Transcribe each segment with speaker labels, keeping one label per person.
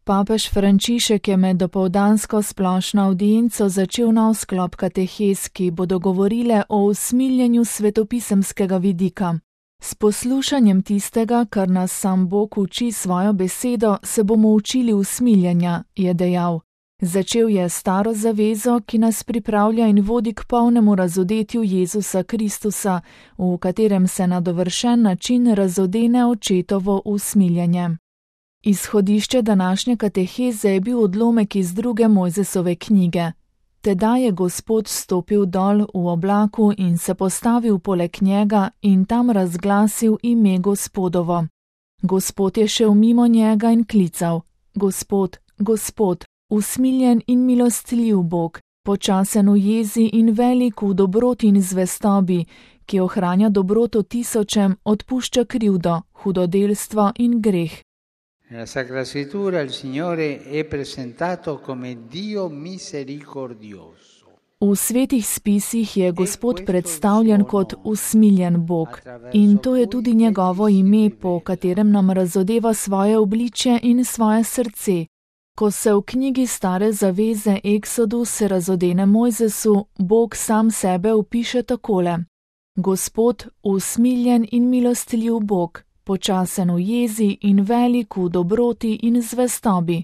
Speaker 1: Papež Frančišek je med dopoldansko splošno avdienco začel nov sklop katehez, ki bodo govorile o usmiljenju svetopisemskega vidika. S poslušanjem tistega, kar nas sam Bog uči svojo besedo, se bomo učili usmiljenja, je dejal. Začel je staro zavezo, ki nas pripravlja in vodi k polnemu razodetju Jezusa Kristusa, v katerem se na dovršen način razodene očetovo usmiljenje. Izhodišče današnje kateheze je bil odlomek iz 2. Mojzesove knjige. Tedaj je Gospod stopil dol v oblaku in se postavil poleg njega in tam razglasil ime Gospodovo. Gospod je šel mimo njega in klical: Gospod, Gospod, usmiljen in milostljiv Bog, počasen v jezi in velik v dobroti in zvestobi, ki ohranja dobroto tisočem, odpušča krivdo, hudodelstvo in greh.
Speaker 2: Nella Sacra Scrittura il Signore è presentato come Dio misericordioso.
Speaker 1: V svetih spisih je Gospod predstavljen kot usmiljen Bog in to je tudi njegovo ime, po katerem nam razodeva svoje obličje in svoje srce. Ko se v knjigi Stare zaveze Eksodus razodene Mojzesu, Bog sam sebe opiše takole: Gospod, usmiljen in milostljiv Bog, počasen v jezi in velik v dobroti in zvestobi.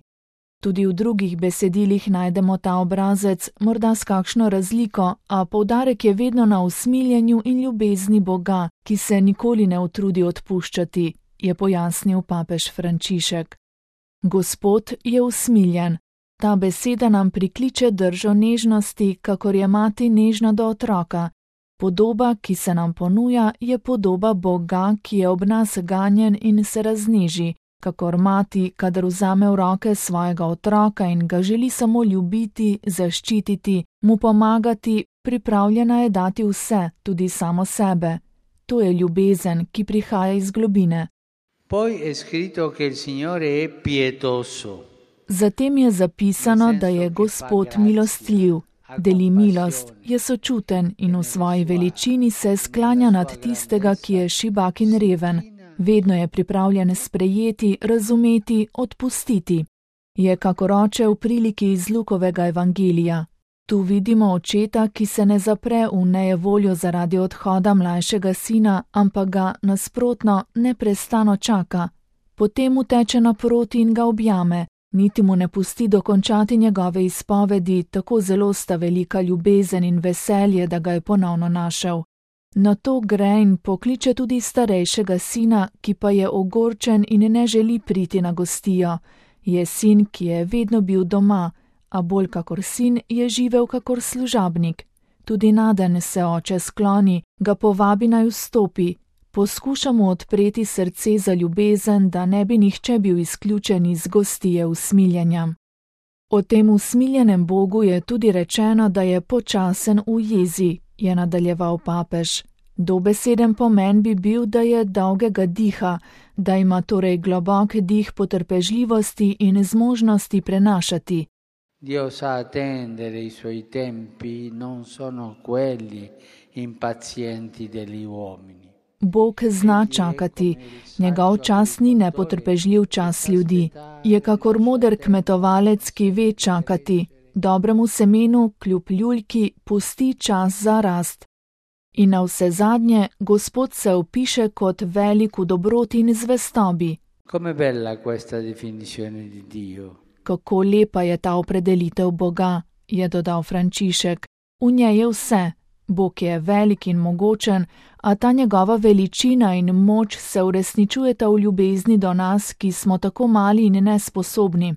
Speaker 1: Tudi v drugih besedilih najdemo ta obrazec, morda s kakšno razliko, a poudarek je vedno na usmiljenju in ljubezni Boga, ki se nikoli ne utrudi odpuščati, je pojasnil papež Frančišek. Gospod je usmiljen. Ta beseda nam prikliče držo nežnosti, kakor je mati nežna do otroka. Podoba, ki se nam ponuja, je podoba Boga, ki je ob nas ganjen in se razneži, kakor mati, kadar vzame v roke svojega otroka in ga želi samo ljubiti, zaščititi, mu pomagati, pripravljena je dati vse, tudi samo sebe. To je ljubezen, ki prihaja iz globine.
Speaker 2: Poi è scritto che il Signore è pietoso.
Speaker 1: Zatem je zapisano, da je Gospod milostljiv. Deli milost, je sočuten in v svoji veličini se sklanja nad tistega, ki je šibak in reven. Vedno je pripravljen sprejeti, razumeti, odpustiti. Je kakor oče v priliki iz Lukovega evangelija. Tu vidimo očeta, ki se ne zapre v nejevoljo zaradi odhoda mlajšega sina, ampak ga nasprotno neprestano čaka. Potem mu teče naproti in ga objame. Niti mu ne pusti dokončati njegove izpovedi, tako zelo sta velika ljubezen in veselje, da ga je ponovno našel. Nato gre in pokliče tudi starejšega sina, ki pa je ogorčen in ne želi priti na gostijo. Je sin, ki je vedno bil doma, a bolj kakor sin je živel kakor služabnik. Tudi naden se oče skloni, ga povabi naj vstopi. Poskuša mu odpreti srce za ljubezen, da ne bi nihče bil izključen iz gostije usmiljenja. O tem usmiljenem Bogu je tudi rečeno, da je počasen v jezi, je nadaljeval papež. Dobeseden pomen bi bil, da je dolgega diha, da ima torej globok dih potrpežljivosti in zmožnosti prenašati.
Speaker 2: Dio sa attendere i suoi tempi, non sono quelli impazienti degli uomini.
Speaker 1: Bog zna čakati, njegov čas ni nepotrpežljiv čas ljudi. Je kakor moder kmetovalec, ki ve čakati. Dobremu semenu, kljub ljuljki, pusti čas za rast. In navsezadnje, Gospod se opiše kot velik v dobroti in zvestobi.
Speaker 2: Come bella questa definizione di Dio.
Speaker 1: Kako lepa je ta opredelitev Boga, je dodal Frančišek. V njej je vse. Bog je velik in mogočen, a ta njegova veličina in moč se uresničujeta v ljubezni do nas, ki smo tako mali in nesposobni.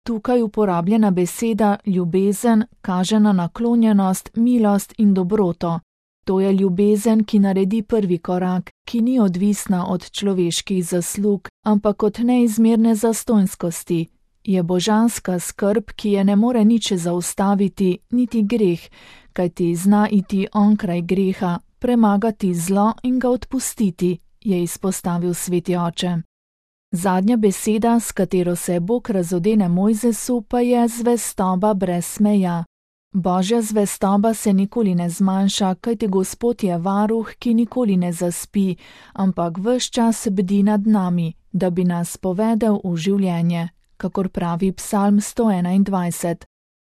Speaker 1: Tukaj uporabljena beseda ljubezen kaže na naklonjenost, milost in dobroto. To je ljubezen, ki naredi prvi korak, ki ni odvisna od človeških zaslug, ampak od neizmerne zastonjskosti. Je božanska skrb, ki je ne more nič zaustaviti, niti greh, kajti zna iti onkraj greha, premagati zlo in ga odpustiti, je izpostavil sveti oče. Zadnja beseda, s katero se Bog razodene Mojzesu, pa je zvestoba brez meja. Božja zvestoba se nikoli ne zmanjša, kajti Gospod je varuh, ki nikoli ne zaspi, ampak ves čas bdi nad nami, da bi nas povedel v življenje. kakor pravi Psalm 121.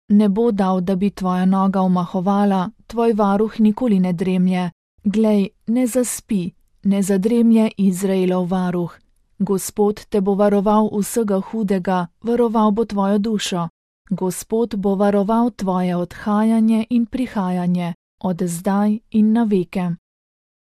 Speaker 1: Ne bo dal, da bi tvoja noga omahovala, tvoj varuh nikoli ne dremlje. Glej, ne zaspi, ne zadremlje Izraelov varuh. Gospod te bo varoval vsega hudega, varoval bo tvojo dušo. Gospod bo varoval tvoje odhajanje in prihajanje, od zdaj in na veke.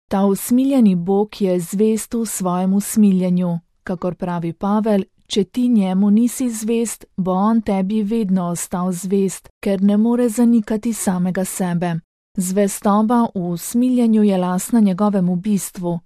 Speaker 1: Ta usmiljeni Bog je zvest v svojem usmiljenju, kakor pravi Pavel, če ti njemu nisi zvest, bo on tebi vedno ostal zvest, ker ne more zanikati samega sebe. Zvestoba v usmiljenju je lastna njegovemu bistvu.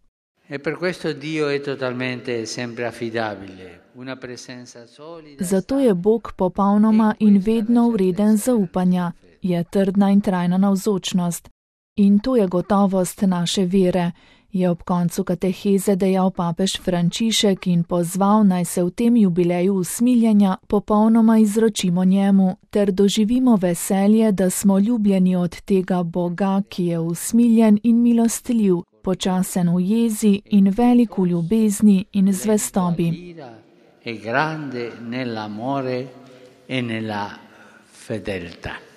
Speaker 1: Zato je Bog popolnoma in vedno vreden zaupanja, je trdna in trajna navzočnost. In to je gotovost naše vere, je ob koncu kateheze dejal papež Frančišek in pozval, naj se v tem jubileju usmiljenja popolnoma izročimo njemu, ter doživimo veselje, da smo ljubljeni od tega Boga, ki je usmiljen in milostljiv, počasen v jezi in velik v ljubezni in zvestobi.
Speaker 2: È grande nell'amore e nella fedeltà.